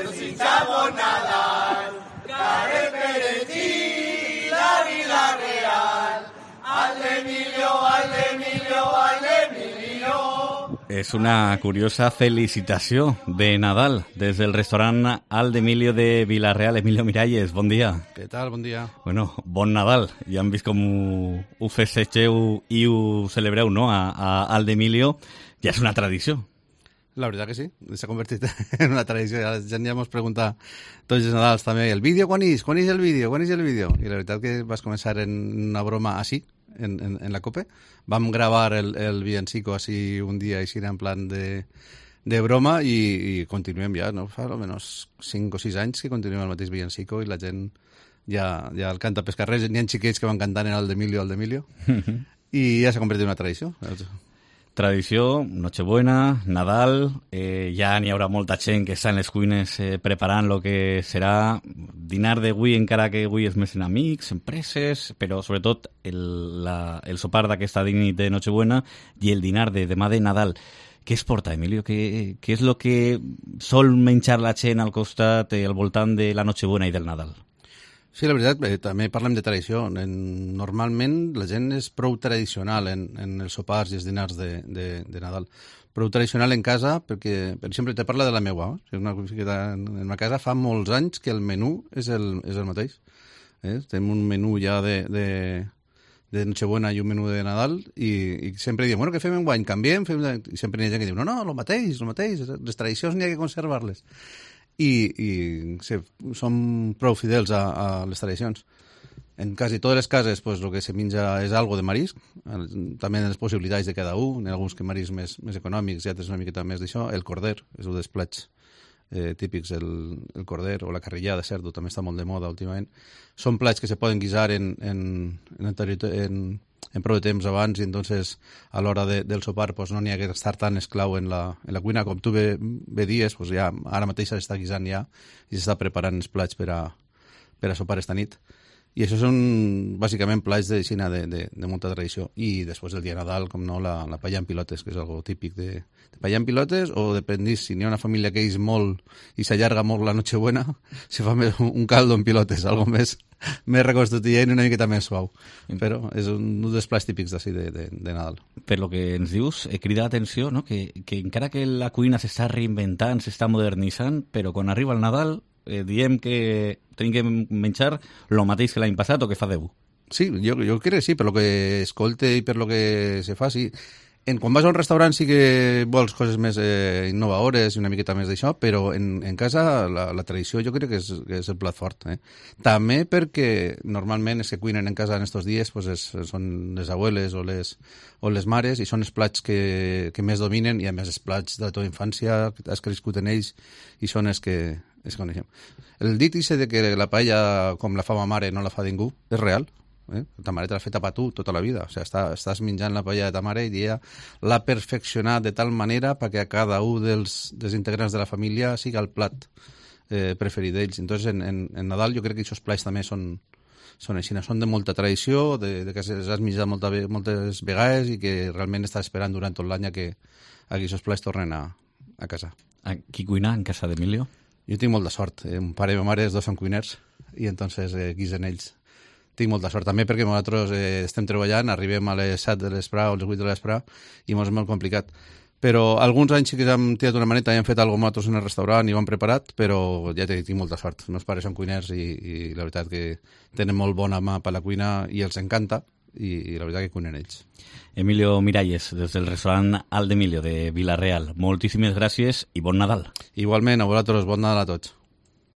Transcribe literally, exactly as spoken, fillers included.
desitja bon Nadal, care peregrí la Vila Real. Al d'Emilio, al d'Emilio, al d'Emilio. És una curiosa felicitació de Nadal des del restaurant Al d'Emilio de Vila-real. Emilio Miralles, bon dia. Què tal? Bon dia. Bueno, bon Nadal. Ja hem vist com ho, ho festeixeu i ho celebreu, no?, a, a Al d'Emilio. Ja és una tradició. La veritat que sí, s'ha convertit en una tradició. La gent ja ens pregunta tots els Nadals també, el vídeo quan és? Quan és el vídeo? Quan és el vídeo? I la veritat que vas començar en una broma així, en, en, en la COPE. Vam gravar el, el villancico així un dia, així en plan de, de broma, i, i continuem ja, no? Fa almenys cinc o sis anys que continuem el mateix villancico i la gent ja, ja el canta pels carrers. N'hi ha xiquets que van cantant en el d'Emilio, el d'Emilio, i ja s'ha convertit en una tradició. Tradició, Nochebuena, Nadal, eh, ja n'hi haurà molta gent que està en les cuines eh, preparant el que serà dinar d'avui, encara que avui és més en amics, empreses, però sobretot el, la, el sopar d'aquesta nit de Nochebuena i el dinar de demà de Nadal. Què es porta, Emilio? Què, què és el que sol menjar la gent al costat, eh, al voltant de la Nochebuena i del Nadal? Sí, la veritat, eh, també parlem de tradició. En, normalment la gent és prou tradicional en, en els sopars i els dinars de, de, de Nadal. Prou tradicional en casa perquè, per exemple, te parla de la meua. Eh? Una, en ma casa fa molts anys que el menú és el, és el mateix. Eh? Tenim un menú ja de, de, de Nochebuena i un menú de Nadal i, i sempre diem, bueno, què fem enguany? Canviem? Fem... I sempre hi ha gent que diu, no, no, el mateix, el mateix. Les tradicions n'hi ha que conservar-les. i, i sí, som prou fidels a, a les tradicions. En quasi totes les cases, pues, el que se menja és algo de marisc, també en les possibilitats de cada un, en alguns que mariscs més, més econòmics i altres una miqueta més d'això. El corder és un dels plats eh, típics, el, el corder, o la carrillada de cerdo, també està molt de moda últimament. Són plats que se poden guisar en, en, en, en, en prou de temps abans i entonces a l'hora de, del sopar pues, no n'hi ha que estar tan esclau en la, en la cuina. Com tu bé, bé dies, pues, ja, ara mateix s'està guisant ja i s'està preparant els plats per a, per a sopar esta nit. I això són bàsicament plats de Xina de, de, de molta tradició. I després el dia de Nadal, com no, la, la paella en pilotes, que és algo típic de, de paella en pilotes, o dependís, si n'hi ha una família que és molt i s'allarga molt la Nochebuena, se fa més un caldo en pilotes, algo més, més reconstituent i una miqueta més suau. Però és un, un dels plats típics d'ací de, de, de Nadal. Per lo que ens dius, eh, crida l'atenció, no? que, que encara que la cuina s'està reinventant, s'està modernitzant, però quan arriba el Nadal eh, diem que tenim que menjar el mateix que l'any passat o que fa deu. Sí, jo, jo crec que sí, per lo que escolte i per lo que se fa, sí. En, quan vas a un restaurant sí que vols coses més eh, innovadores i una miqueta més d'això, però en, en casa la, la tradició jo crec que és, que és el plat fort. Eh? També perquè normalment els que cuinen en casa en estos dies pues és, són les abueles o les, o les mares i són els plats que, que més dominen i a més els plats de la teva infància, has crescut en ells i són els que es coneixem. El dit ese de que la paella com la fa ma mare no la fa ningú és real. Eh? Ta mare te l'ha fet per tu tota la vida. O sigui, està, estàs menjant la paella de ta mare i ella l'ha perfeccionat de tal manera perquè a cada un dels, dels integrants de la família siga el plat eh, preferit d'ells. Entonces, en, en, en Nadal jo crec que aquests plats també són, són així, són de molta tradició, de, de que has menjat molta, moltes vegades i que realment estàs esperant durant tot l'any que aquests plats tornen a, a casa. A qui cuina en casa d'Emilio? Jo tinc molta sort. Eh, un pare i ma mare, els dos són cuiners i entonces eh, guisen ells. Tinc molta sort també perquè nosaltres eh, estem treballant, arribem a les set de l'esprà o a les vuit de l'esprà i ens és molt complicat. Però alguns anys sí que hem tirat una maneta i hem fet alguna cosa nosaltres en el restaurant i ho hem preparat, però ja tinc molta sort. Els meus pares són cuiners i, i la veritat que tenen molt bona mà per la cuina i els encanta i, i la veritat que cuinen ells. Emilio Miralles, des del restaurant Al d'Emilio de Vila-real. Moltíssimes gràcies i bon Nadal. Igualment, a vosaltres, bon Nadal a tots.